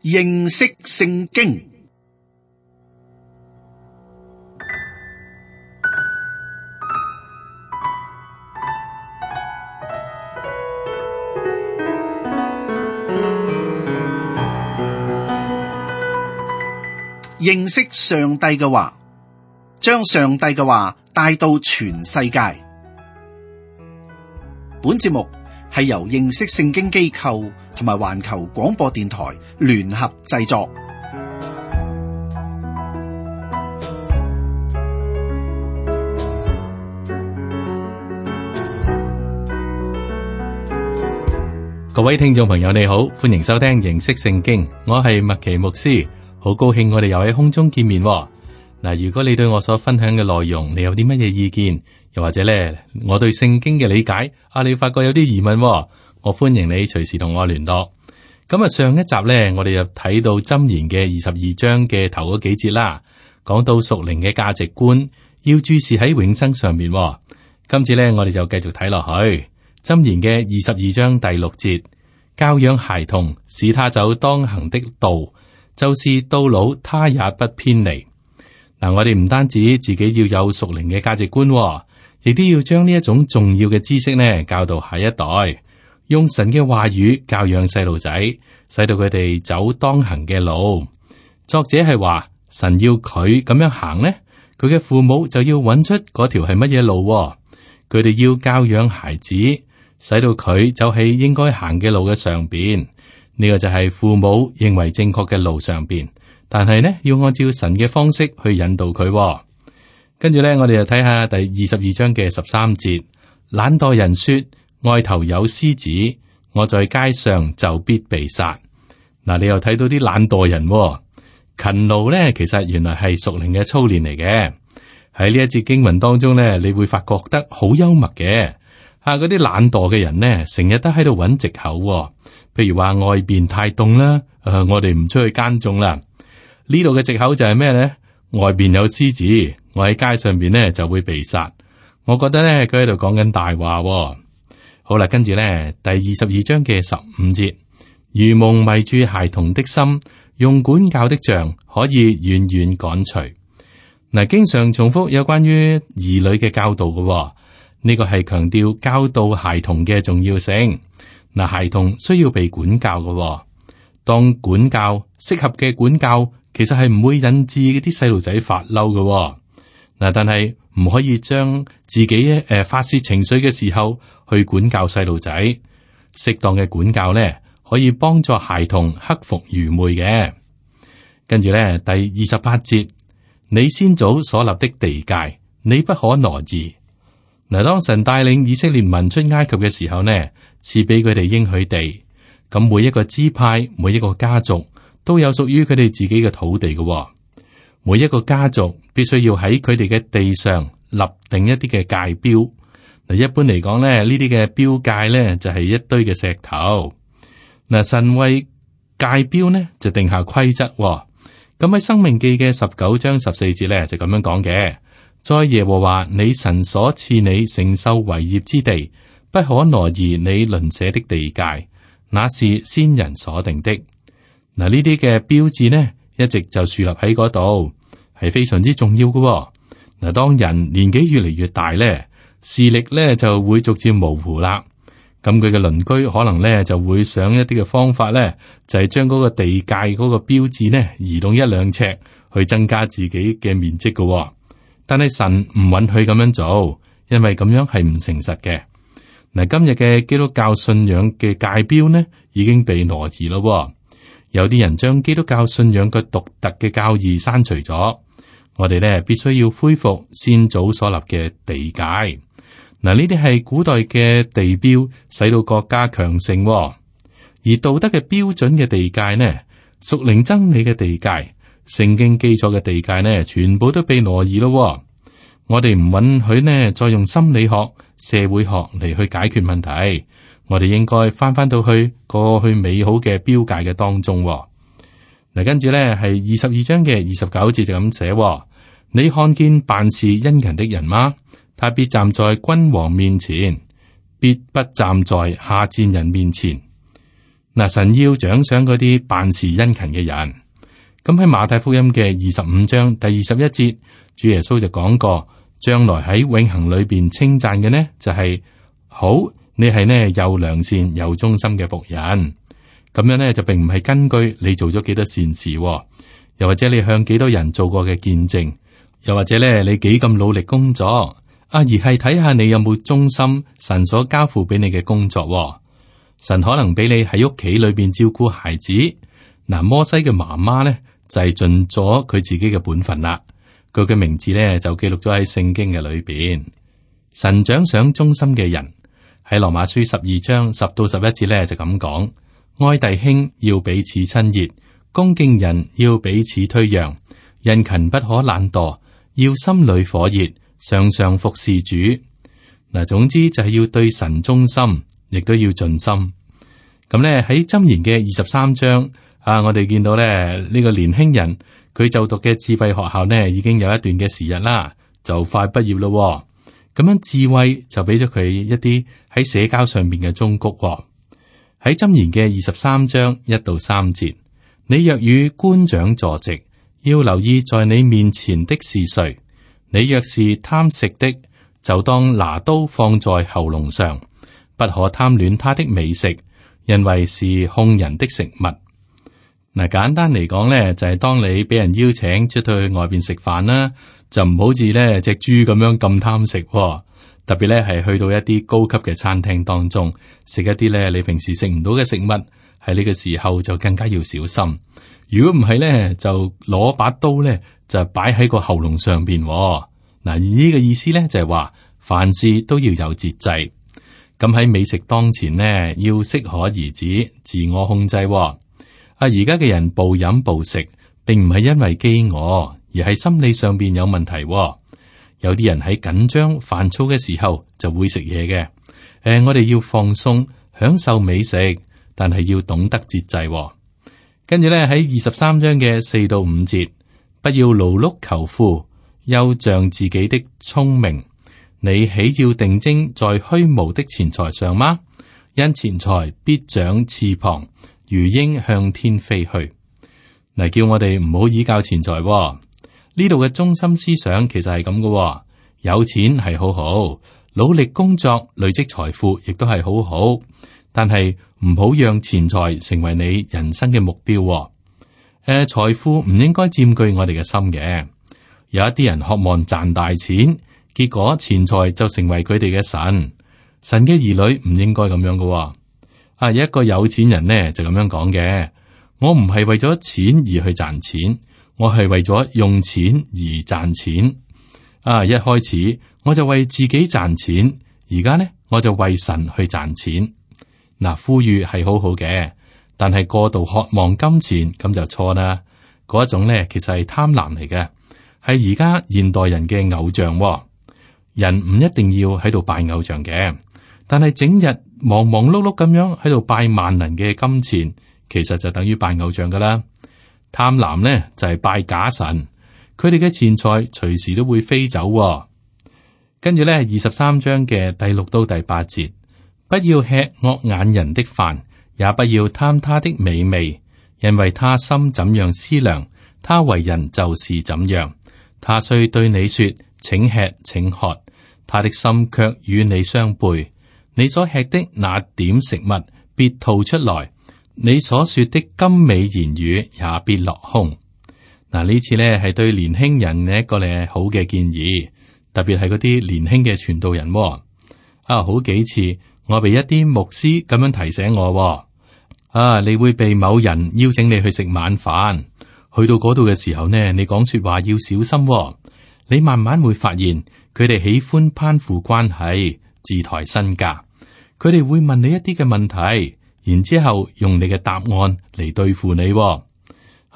認識聖經。認識上帝嘅話，將上帝嘅話帶到全世界。本節目係由認識聖經機構同埋環球廣播電台聯合製作。各位聽眾朋友你好，歡迎收聽認識聖經，我係麥奇牧師。好高興我哋又喺空中見面喎。嗱，如果你對我所分享嘅內容，你有啲乜嘢意見，又或者咧，我對聖經嘅理解，你發覺有啲疑問喎，我歡迎你隨時同我聯絡。咁上一集咧，我哋就睇到箴言嘅22章嘅頭嗰幾節啦，講到屬靈嘅價值觀，要注視喺永生上面喎。今次咧，我哋就繼續睇落去，箴言嘅22章第6節，教養孩童，使他走當行的道，就是到老他也不偏離。嗱，我哋唔單止自己要有屬靈嘅價值觀，亦都要將呢一種重要嘅知識呢教導下一代，用神嘅話語教養細路仔，使到佢哋走當行嘅路。作者係話，神要佢咁樣行呢，佢嘅父母就要揾出嗰條係乜嘢路。佢哋要教養孩子，使到佢走喺應該行嘅路嘅上邊。呢個就係父母認為正確嘅路上邊，但係呢要按照神嘅方式去引導佢。跟住呢，我哋就睇下第22章嘅13節。懶惰人說：外頭有獅子，我在街上就必被殺。嗱，你又睇到啲懶惰人，勤勞呢，其實原來係屬靈嘅操練嚟嘅。喺呢一節經文當中呢，你會發覺得好幽默嘅。嗰啲懶惰嘅人呢，成日都喺度揾藉口，譬如話外邊太凍啦，我哋唔出去耕種啦。呢度嘅藉口就係咩呢？外邊有獅子，我喺街上邊呢就會被殺。我覺得呢，佢喺度講緊大話。好啦，跟住呢，第22章嘅15節，愚蒙迷住孩童的心，用管教的杖可以遠遠趕除。嗱，經常重複有關於兒女嘅教導嘅，呢個係強調教導孩童嘅重要性。嗱，孩童需要被管教嘅，當管教適合嘅管教，其實係唔會引致啲細路仔發嬲嘅。嗱，但係唔可以將自己發洩情緒嘅時候去管教細路仔。適當嘅管教咧，可以幫助孩童克服愚昧嘅。跟住咧，第28節，你先祖所立的地界，你不可挪移。嗱，當神帶領以色列民出埃及嘅時候呢，賜俾佢哋應許地，咁每一個支派、每一個家族都有屬於佢哋自己嘅土地嘅。每一個家族必須要喺佢哋嘅地上立定一啲嘅界標。嗱，一般嚟講咧，呢啲嘅標界咧就係一堆嘅石頭。嗱，神為界標呢就定下規則。咁喺申命記嘅19章14節咧就咁樣講嘅。在耶和華你神所賜你承受為業之地，不可挪移你鄰舍的地界，那是先人所定的。嗱，呢啲嘅標誌呢，一直就樹立喺嗰度，係非常之重要嘅。嗱，當人年紀越嚟越大咧，視力咧就會逐漸模糊啦。咁佢嘅鄰居可能咧就會想一啲嘅方法咧，就係將嗰個地界嗰個標誌呢移動1-2尺，去增加自己嘅面積嘅。但係神唔允許咁樣做，因為咁樣係唔誠實嘅。嗱，今日嘅基督教信仰嘅界標呢，已經被挪移咯。有啲人將基督教信仰嘅獨特嘅教義刪除咗。我哋呢必須要恢復先祖所立嘅地界。嗱，呢啲係古代嘅地標，使到國家強盛。而道德嘅標準嘅地界呢，屬靈真理嘅地界，聖經基礎嘅地界呢，全部都被挪移咯。我哋唔允許呢，再用心理學、社會學嚟去解決問題。我哋應該翻到去過去美好嘅標界嘅當中。嗱，跟住咧係22章嘅29節就咁寫：你看見辦事殷勤的人嗎？他必站在君王面前，必不站在下賤人面前。嗱，神要獎賞嗰啲辦事殷勤嘅人。咁喺馬太福音嘅25章第21節，主耶穌就講過，將來喺永恆裏邊稱讚嘅呢，就係好，你係呢又良善又忠心嘅僕人。咁樣呢，就並唔係根據你做咗幾多善事，又或者你向幾多人做過嘅見證，又或者咧你幾咁努力工作，而係睇下你有冇忠心神所交付俾你嘅工作。神可能俾你喺屋企裏邊照顧孩子。嗱，摩西嘅媽媽咧就係盡咗佢自己嘅本分啦。佢嘅名字咧就記錄咗喺聖經嘅裏邊。神獎賞忠心嘅人，喺羅馬書12章10到11節咧就咁講：愛弟兄要彼此親熱，恭敬人要彼此推讓，殷勤不可懶惰，要心裏火熱，常常服侍主。嗱，總之就係要對神忠心，亦都要盡心。咁咧喺箴言嘅23章我哋見到咧呢個年輕人佢就讀嘅智慧學校呢已經有一段嘅時日啦，就快畢業咯。咁樣智慧就俾咗佢一啲喺社交上面嘅忠告。喺箴言嘅23章1到3節，你若與官長坐席，要留意在你面前的是誰。你若是貪食的，就當拿刀放在喉嚨上，不可貪戀他的美食，因為是兇人的食物。嗱，簡單嚟講咧，就係當你俾人邀請出去外邊食飯啦，就唔好似咧隻豬咁樣咁貪食。特別咧係去到一啲高級嘅餐廳當中食一啲咧你平時食唔到嘅食物，喺呢個時候就更加要小心。如果唔係咧，就攞把刀咧就擺喺個喉嚨上邊。嗱，呢個意思咧就係話凡事都要有節制。咁喺美食當前呢，要適可而止，自我控制。而家嘅人暴飲暴食，並唔係因為飢餓，而係心理上邊有問題。有啲人喺緊張煩躁嘅時候就會食嘢嘅。我哋要放鬆，享受美食，但係要懂得節制。跟住咧喺23章嘅4到5節，不要勞碌求富，又仗自己的聰明。你豈要定睛在虛無的錢財上嗎？因錢財必長翅膀，如鷹向天飛去。嗱，叫我哋唔好依靠錢財。呢度嘅中心思想其實係咁嘅，有錢係好好，努力工作累積財富亦都係好好，但係唔好讓錢財成為你人生嘅目標。財富唔應該佔據我哋嘅心嘅。有一啲人渴望賺大錢，結果錢財就成為佢哋嘅神。神嘅兒女唔應該咁樣嘅。有一個有錢人呢就咁樣講嘅：我唔係為咗錢而去賺錢。我係為咗用錢而賺錢。一開始我就為自己賺錢，而家呢我就為神去賺錢。嗱，富裕係好好嘅，但係過度渴望金錢咁就錯啦。嗰一種呢其實係貪婪嚟嘅，係而家現代人嘅偶像。人唔一定要喺度拜偶像嘅，但係整日忙忙碌碌咁樣喺度拜萬能嘅金錢，其實就等於拜偶像噶啦。貪婪呢就係拜假神，佢哋嘅錢財隨時都會飛走。跟住呢23章嘅第6到第8節，不要吃惡眼人的飯，也不要貪他的美味，因為他心怎樣思量，他為人就是怎樣。他雖對你說請吃請喝，他的心卻與你相背。你所吃的那點食物必吐出來，你所說的甘美言語也必落空。嗱，呢次呢係對年輕人嘅一個咧好嘅建議，特別係嗰啲年輕嘅傳道人。好幾次我被一啲牧師咁樣提醒我，你會被某人邀請你去食晚飯，去到嗰度嘅時候呢，你講說話要小心。你慢慢會發現佢哋喜歡攀附關係，自抬身價。佢哋會問你一啲嘅問題，然之後用你嘅答案嚟對付你。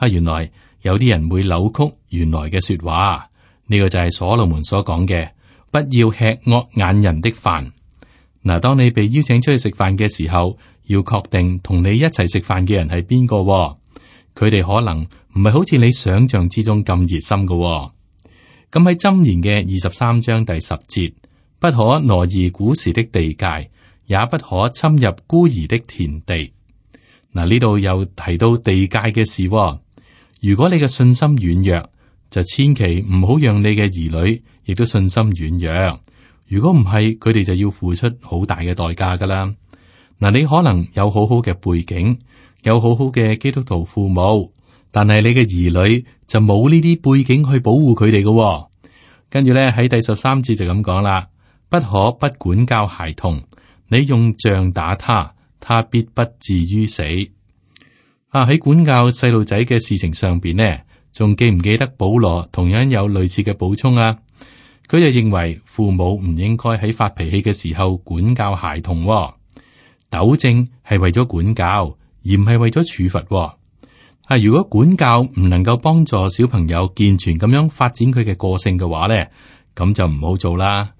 原來有啲人會扭曲原來嘅說話，呢個就係所羅門所講嘅，不要吃惡眼人的飯。嗱，當你被邀請出去食飯嘅時候，要確定同你一齊食飯嘅人係邊個。佢哋可能唔係好似你想象之中咁熱心嘅。咁喺箴言嘅23章第10節，不可挪移古時的地界，也不可侵入孤兒的田地。嗱，呢度又提到地界嘅事喎。如果你嘅信心軟弱，就千祈唔好讓你嘅兒女亦都信心軟弱。如果唔係，佢哋就要付出好大嘅代價噶啦。嗱，你可能有好好嘅背景，有好好嘅基督徒父母，但係你嘅兒女就冇呢啲背景去保護佢哋嘅。跟住咧喺第13節就咁講啦，不可不管教孩童，你用杖打他，他必不至於死。喺管教細路仔嘅事情上邊呢，仲記唔記得保羅同樣有類似嘅補充啊？佢就認為父母唔應該喺發脾氣嘅時候管教孩童，糾正係為咗管教，而唔係為咗處罰。如果管教唔能夠幫助小朋友健全咁樣發展佢嘅個性嘅話咧，咁就唔好做啦。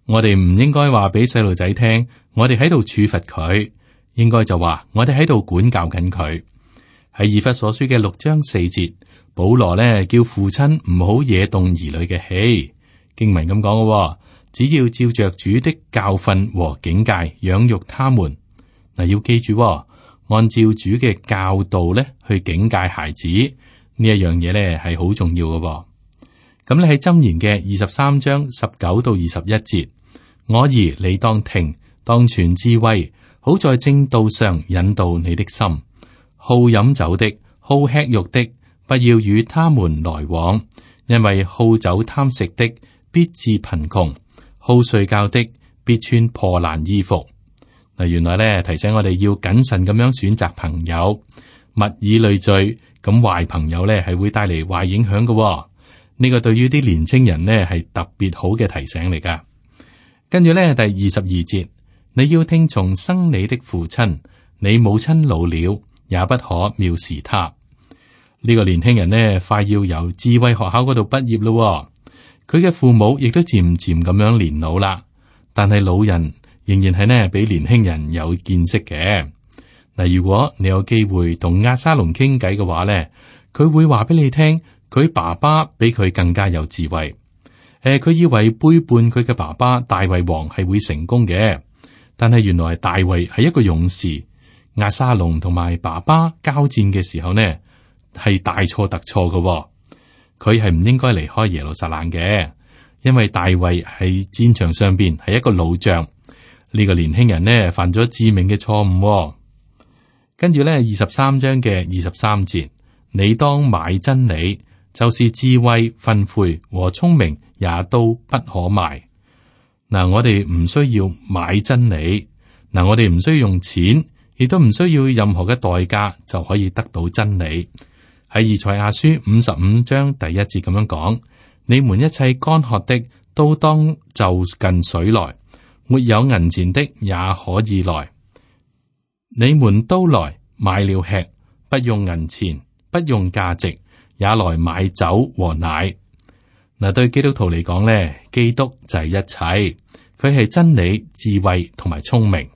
我哋唔應該話俾細路仔聽，我哋喺度處罰佢，應該就話我哋喺度管教緊佢。喺以弗所書嘅6章4節，保羅咧叫父親唔好惹動兒女嘅氣。經文咁講嘅，只要照着主的教訓和警戒養育他們。嗱，要記住，按照主嘅教導咧去警戒孩子呢一樣嘢咧係好重要嘅。咁你喺箴言嘅23章19到21節，我兒你當聽，當存智慧，好在正道上引導你的心。好飲酒的，好吃肉的，不要與他們來往，因為好酒貪食的必致貧窮，好睡覺的必穿破爛衣服。嗱，原來咧提醒我哋要謹慎咁樣選擇朋友，物以類聚，咁壞朋友咧係會帶嚟壞影響嘅。呢個對於啲年青人呢係特別好嘅提醒嚟噶。跟住咧第22節，你要聽從生你的父親，你母親老了，也不可藐視他。呢個年輕人呢快要由智慧學校嗰度畢業咯，佢嘅父母亦都漸漸咁樣年老啦，但係老人仍然係呢比年輕人有見識嘅。嗱，如果你有機會同押沙龍傾偈嘅話呢，佢會話俾你聽，佢爸爸比佢更加有智慧。佢以為背叛佢嘅爸爸大衛王係會成功嘅，但係原來大衛係一個勇士。押沙龍同埋爸爸交戰嘅時候呢，係大錯特錯嘅。佢係唔應該離開耶路撒冷嘅，因為大衛喺戰場上邊係一個老將。呢個年輕人呢犯咗致命嘅錯誤。跟住呢23章嘅23節，你當買真理，就是智慧、訓誨和聰明，也都不可賣。嗱，我哋唔需要買真理，嗱，我哋唔需要用錢，亦都唔需要任何嘅代價就可以得到真理。喺以賽亞書55章第1節咁樣講：你們一切乾渴的都當就近水來，沒有銀錢的也可以來。你們都來買了吃，不用銀錢，不用價值，也來買酒和奶。嗱，對基督徒嚟講咧，基督就係一切，佢係真理、智慧同埋聰明。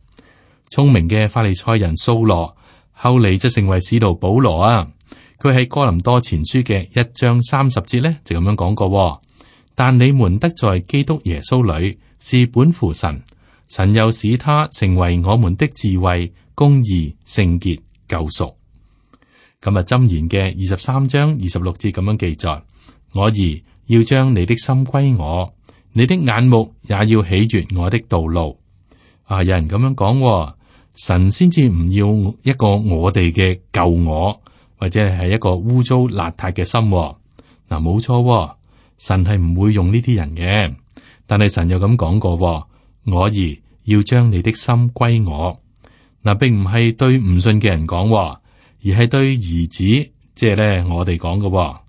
聰明嘅法利賽人掃羅，後嚟就成為使徒保羅啊。佢喺哥林多前書嘅1章30節咧，就咁樣講過：但你們得在基督耶穌裏是本乎神，神又使他成為我們的智慧、公義、聖潔、救贖。咁啊，箴言嘅23章26節咁樣記載：我兒要將你的心歸我，你的眼目也要喜悅我的道路。有人咁樣講，神先至唔要一個我哋嘅舊我，或者係一個污糟邋遢嘅心。冇錯，神係唔會用呢啲人嘅。但係神又咁講過，我兒要將你的心歸我。並唔係對唔信嘅人講，而係對兒子，即係咧我哋講嘅。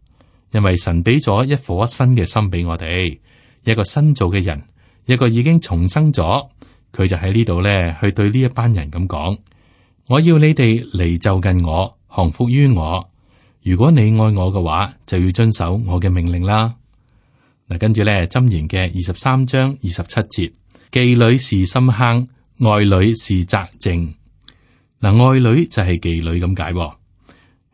因為神俾咗一顆新嘅心俾我哋，一個新造嘅人，一個已經重生咗。佢就喺呢度咧，去對呢一班人咁講：我要你哋嚟就近我，降服於我。如果你愛我嘅話，就要遵守我嘅命令啦。嗱，跟住咧，箴言嘅23章27節，妓女是深坑，愛女是窄井。嗱，愛女就係妓女咁解。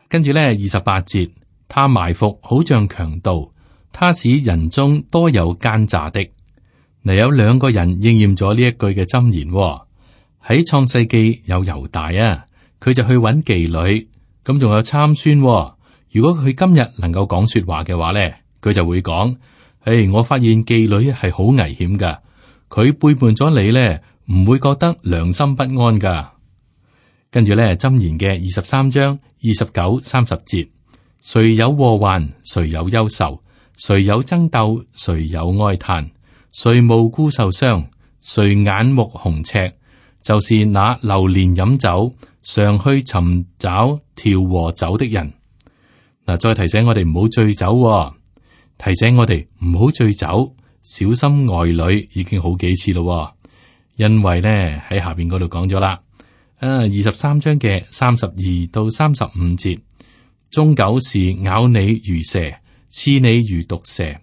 跟住咧，28節，他埋伏好像強盜，他使人中多有奸詐的。嗱，有兩個人應驗咗呢一句嘅箴言。喺創世記有猶大啊，佢就去揾妓女，咁仲有參孫喎。如果佢今日能夠講說話嘅話咧，佢就會講：我發現妓女係好危險噶，佢背叛咗你咧，唔會覺得良心不安噶。跟住咧，箴言嘅23章29、30節，誰有禍患，誰有憂愁，誰有爭鬥，誰有哀嘆，誰無故受傷，誰眼目紅赤，就是那流連飲酒，常去尋找調和酒的人。嗱，再提醒我哋唔好醉酒喎，提醒我哋唔好醉酒，小心外女，已經好幾次咯。因為咧喺下邊嗰度講咗啦，23章嘅32到35節，終久是咬你如蛇，刺你如毒蛇，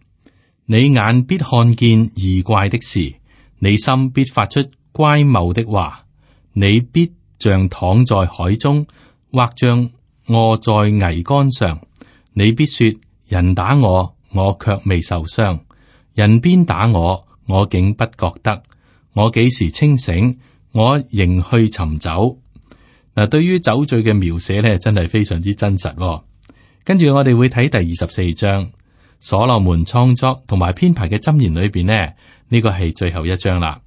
你眼必看見異怪的事，你心必發出乖謬的話，你必像躺在海中，或像臥在桅杆上。你必說：人打我，我卻未受傷；人鞭打我，我竟不覺得。我幾時清醒，我仍去尋酒。嗱，對於酒醉嘅描寫咧，真係非常之真實喎。跟住我哋會睇第24章，所羅門創作同埋編排嘅箴言裏邊呢，呢個係最後一章啦。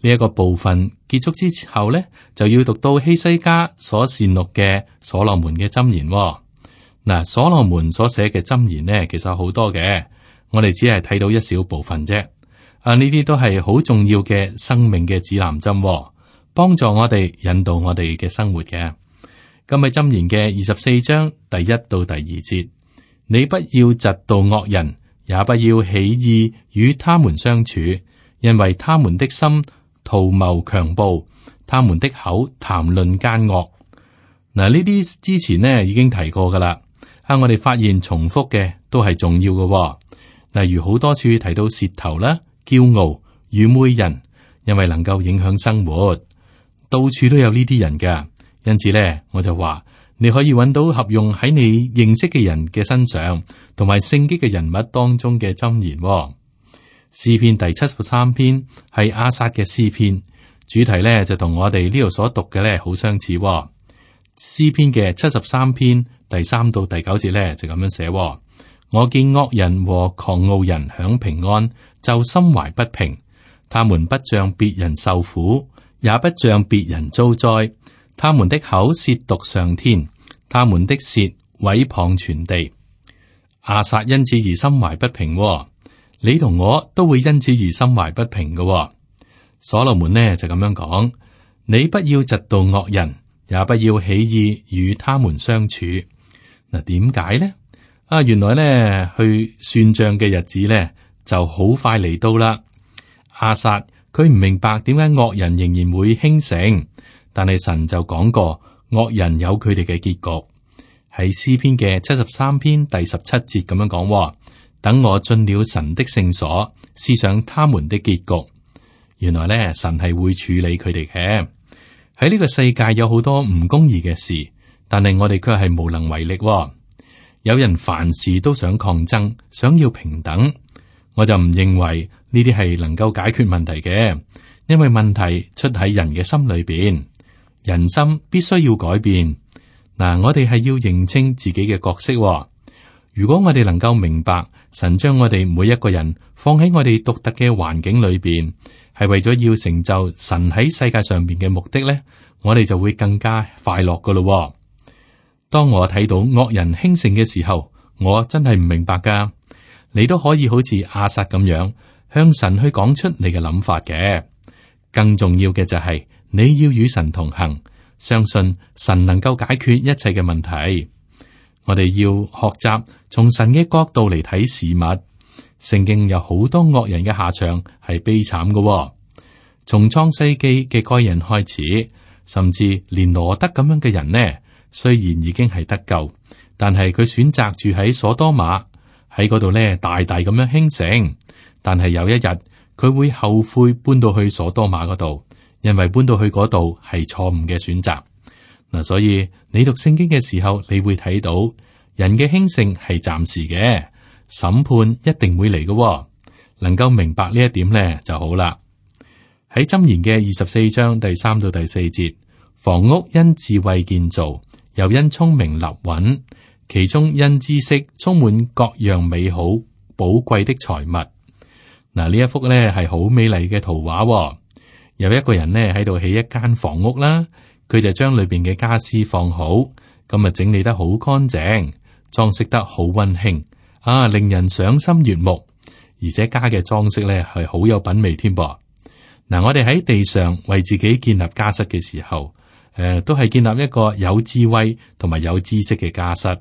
呢一個部分結束之後呢，就要讀到希西家所善錄嘅所羅門嘅箴言喎。嗱，所羅門所寫嘅箴言呢，其實好多嘅，我哋只係睇到一小部分啫。呢啲都係好重要嘅生命嘅指南針喎，幫助我哋引導我哋嘅生活嘅。今日箴言嘅24章第1到第2節，你不要嫉妒惡人，也不要起意與他們相處，因為他們的心圖謀強暴，他們的口談論奸惡。嗱，呢啲之前呢已經提過噶啦。我哋發現重複嘅都係重要嘅喎。例如好多處提到舌頭啦、驕傲、愚昧人，因為能夠影響生活，到處都有呢啲人噶。因此咧，我就話你可以揾到合用喺你認識嘅人嘅身上，同埋聖經嘅人物當中嘅箴言喎。詩篇第73篇係亞薩嘅詩篇，主題咧就同我哋呢度所讀嘅咧好相似喎。詩篇嘅73篇第3到第9節咧就咁樣寫喎：我見惡人和狂傲人享平安，就心懷不平。他們不像別人受苦，也不像別人遭災。他們的口褻瀆上天，他們的舌毀謗全地。亞薩因此而心懷不平喎，你同我都會因此而心懷不平嘅喎。所羅門呢就咁樣講：你不要嫉妒惡人，也不要起意與他們相處。嗱，點解呢？原來呢去算賬嘅日子呢就好快嚟到啦。亞薩佢唔明白點解惡人仍然會興盛，但係神就講過惡人有佢哋嘅結局。喺詩篇嘅73篇第17節咁樣講：等我進了神的聖所，思想他們的結局。原來呢神係會處理佢哋嘅。喺呢個世界有好多唔公義嘅事，但係我哋卻係無能為力喎。有人凡事都想抗爭，想要平等，我就唔認為呢啲係能夠解決問題嘅，因為問題出喺人嘅心裏邊，人心必須要改變。嗱，我哋係要認清自己嘅角色喎。如果我哋能夠明白神將我哋每一個人放喺我哋獨特嘅環境裏邊，係為咗要成就神喺世界上邊嘅目的咧，我哋就會更加快樂噶咯。當我睇到惡人興盛嘅時候，我真係唔明白噶。你都可以好似亞薩咁樣向神去講出你嘅諗法嘅。更重要嘅就係你要與神同行，相信神能夠解決一切嘅問題。我哋要學習從神嘅角度嚟睇事物。聖經有好多惡人嘅下場係悲慘嘅，從創世記嘅該人開始，甚至連羅德咁樣嘅人呢，雖然已經係得救，但係佢選擇住喺所多瑪，喺嗰度呢大大咁樣興盛。但係有一日佢會後悔搬到去所多瑪嗰度，因為搬到去嗰度係錯誤嘅選擇。嗱，所以你讀聖經嘅時候，你會睇到人嘅興盛係暫時嘅。審判一定會嚟嘅，能夠明白呢一點呢就好啦。喺箴言嘅24章第3到第4節，房屋因智慧建造，又因聰明立穩，其中因知識充滿各樣美好寶貴的財物。嗱，呢一幅呢係好美麗嘅圖畫喎。有一個人呢喺度起一間房屋啦，佢就將裏邊嘅家私放好，咁啊整理得好乾淨，裝飾得好溫馨，令人賞心悅目。而且家嘅裝飾呢係好有品味添噃。嗱，我哋喺地上為自己建立家室嘅時候，都係建立一個有智慧同埋有知識嘅家室。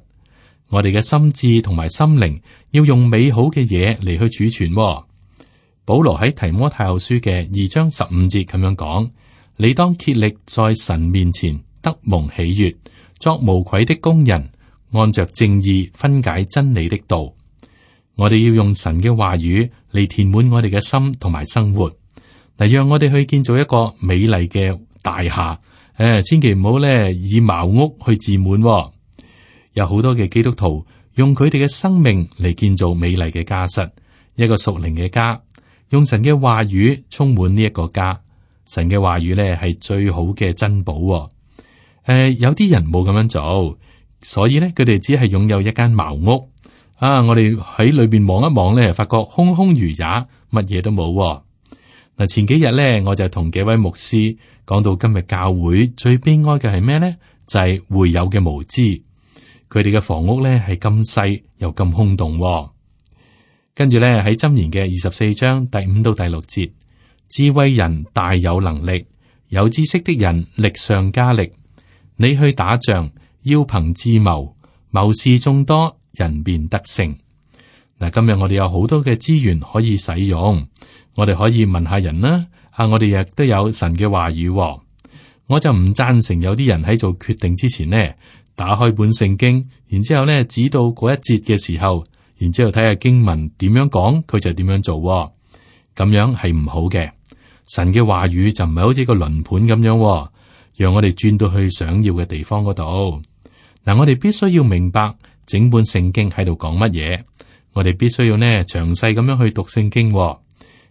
我哋嘅心智同埋心靈要用美好嘅嘢嚟去儲存喎。保羅喺提摩太後書嘅2章15節咁樣講：你當竭力在神面前得蒙喜悅，作無愧的工人，按着正義分解真理的道。我哋要用神嘅話語嚟填滿我哋嘅心同埋生活，嗱，讓我哋去建造一個美麗嘅大廈。千祈唔好咧以茅屋去自滿喎。有好多嘅基督徒用佢哋嘅生命嚟建造美麗嘅家室，一個屬靈嘅家。用神嘅話語充滿呢一個家，神嘅話語咧係最好嘅珍寶喎。有啲人冇咁樣做，所以咧佢哋只係擁有一間茅屋。我哋喺裏邊望一望咧，發覺空空如也，乜嘢都冇喎。嗱，前幾日咧我就同幾位牧師講到，今日教會最悲哀嘅係咩咧？就係會友嘅無知，佢哋嘅房屋咧係咁細又咁空洞喎。跟住咧喺箴言嘅24章第5到第6節，智慧人大有能力，有知識的人力上加力。你去打仗要憑智謀，謀士眾多，人便得勝。嗱，今日我哋有好多嘅資源可以使用，我哋可以問下人啦。我哋亦都有神嘅話語喎。我就唔贊成有啲人喺做決定之前呢，打開本聖經，然之後呢指到嗰一節嘅時候，然之後睇下經文點樣講，佢就點樣做喎。咁樣係唔好嘅。神嘅話語就唔係好似個輪盤咁樣喎，讓我哋轉到去想要嘅地方嗰度。嗱，我哋必須要明白整本聖經喺度講乜嘢，我哋必須要呢詳細咁樣去讀聖經喎。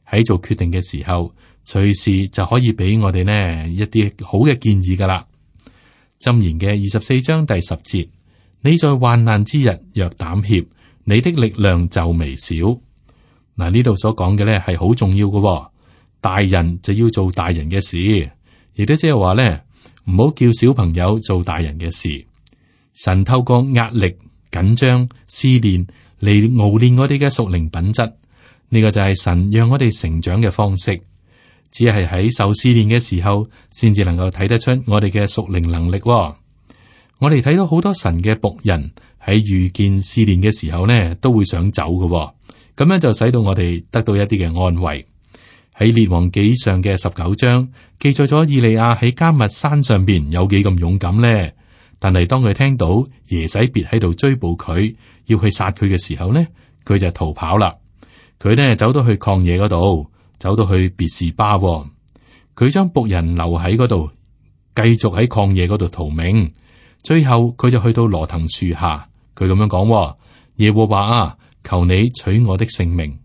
喺做決定嘅時候，隨時就可以俾我哋呢一啲好嘅建議噶啦。箴言嘅24章第10節，你在患難之日若膽怯，你的力量就微小。嗱，呢度所講嘅咧係好重要嘅喎。大人就要做大人嘅事，亦都即係話咧，唔好叫小朋友做大人嘅事。神透過壓力、緊張、試煉嚟熬練我哋嘅屬靈品質，呢個就係神讓我哋成長嘅方式。只係喺受試煉嘅時候，先至能夠睇得出我哋嘅屬靈能力喎。我哋睇到好多神嘅僕人喺遇見試煉嘅時候呢，都會想走嘅喎。咁樣就使到我哋得到一啲嘅安慰。喺列王紀上嘅19章記載咗以利亞喺迦密山上邊有幾咁勇敢呢？但係當佢聽到耶洗別喺度追捕佢，要去殺佢嘅時候呢，佢就逃跑啦。佢呢走到去曠野嗰度，走到去別是巴喎，佢將僕人留喺嗰度，繼續喺曠野嗰度逃命。最後佢就去到羅藤樹下，佢咁樣講：耶和華啊，求你取我的性命。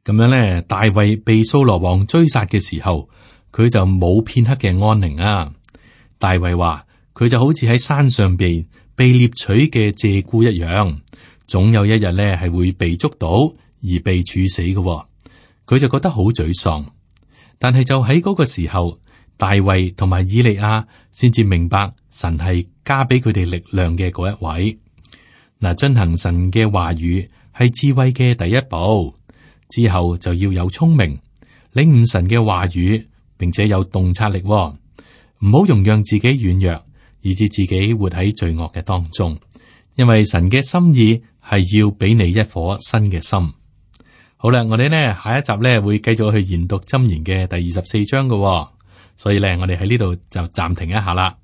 咁樣咧，大衛被掃羅王追殺嘅時候，佢就冇片刻嘅安寧啊。大衛話佢就好似喺山上邊被獵取嘅鷓鴣一樣，總有一日咧係會被捉到而被處死嘅喎。佢就覺得好沮喪。但係就喺嗰個時候，大衛同埋以利亞先至明白神係加俾佢哋力量嘅嗰一位。嗱，遵行神嘅話語係智慧嘅第一步。之後就要有聰明，領悟神嘅話語，並且有洞察力喎。唔好容讓自己軟弱，以致自己活喺罪惡嘅當中。因為神嘅心意係要俾你一顆新嘅心。好啦，我哋呢下一集呢會繼續去研讀箴言嘅第24章嘅喎。所以呢，我哋喺呢度就暫停一下啦。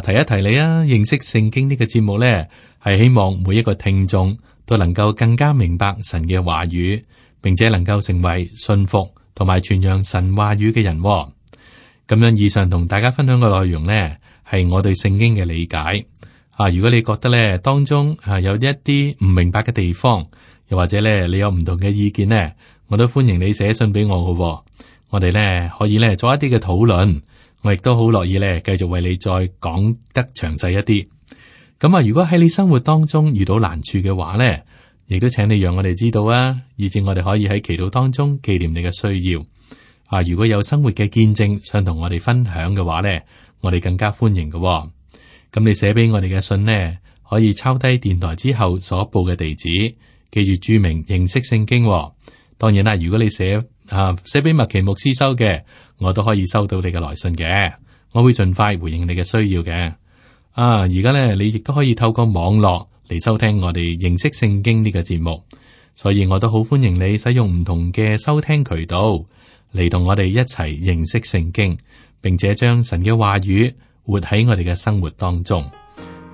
提一提你啊，認識聖經呢個節目呢，係希望每一個聽眾都能夠更加明白神嘅話語，並且能夠成為信服同埋傳揚神話語嘅人喎。咁樣以上同大家分享嘅內容呢，係我對聖經嘅理解。如果你覺得呢當中有一啲唔明白嘅地方，又或者呢你有唔同嘅意見呢，我都歡迎你寫信俾我嘅喎。我哋呢可以呢做一啲嘅討論，我亦都好樂意咧繼續為你再講得詳細一啲。咁啊，如果喺你生活當中遇到難處嘅話咧，亦都請你讓我哋知道啊，以至我哋可以喺祈禱當中紀念你嘅需要。啊，如果有生活嘅見證想同我哋分享嘅話咧，我哋更加歡迎嘅。咁你寫俾我哋嘅信呢，可以抄低電台之後所報嘅地址，記住注明認識聖經。當然啦，如果你寫俾麥奇牧師收嘅，我都可以收到你嘅來信嘅，我會盡快回應你嘅需要嘅。而家呢，你亦都可以透過網絡嚟收聽我哋認識聖經呢個節目，所以我都好歡迎你使用唔同嘅收聽渠道嚟同我哋一齊認識聖經，並且將神嘅話語活喺我哋嘅生活當中。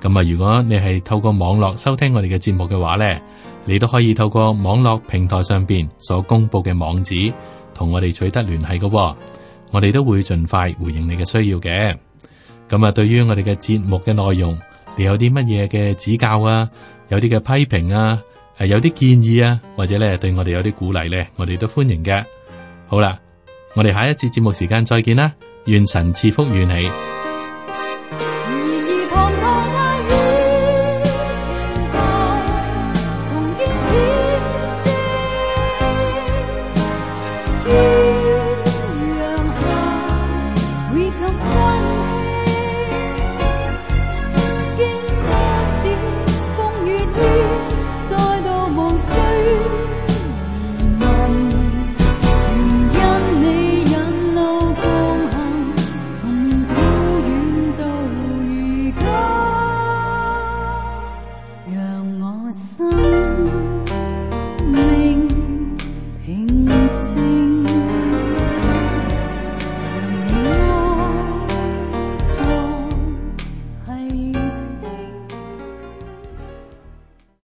咁啊，如果你係透過網絡收聽我哋嘅節目嘅話呢，你都可以透過網絡平台上邊所公布嘅網址同我哋取得聯繫嘅，我哋都會盡快回應你嘅需要嘅。咁啊，對於我哋嘅節目嘅內容，你有啲乜嘢嘅指教啊，有啲嘅批評啊，有啲建議啊，或者咧對我哋有啲鼓勵咧，我哋都歡迎嘅。好啦，我哋下一次節目時間再見啦，願神賜福與你。未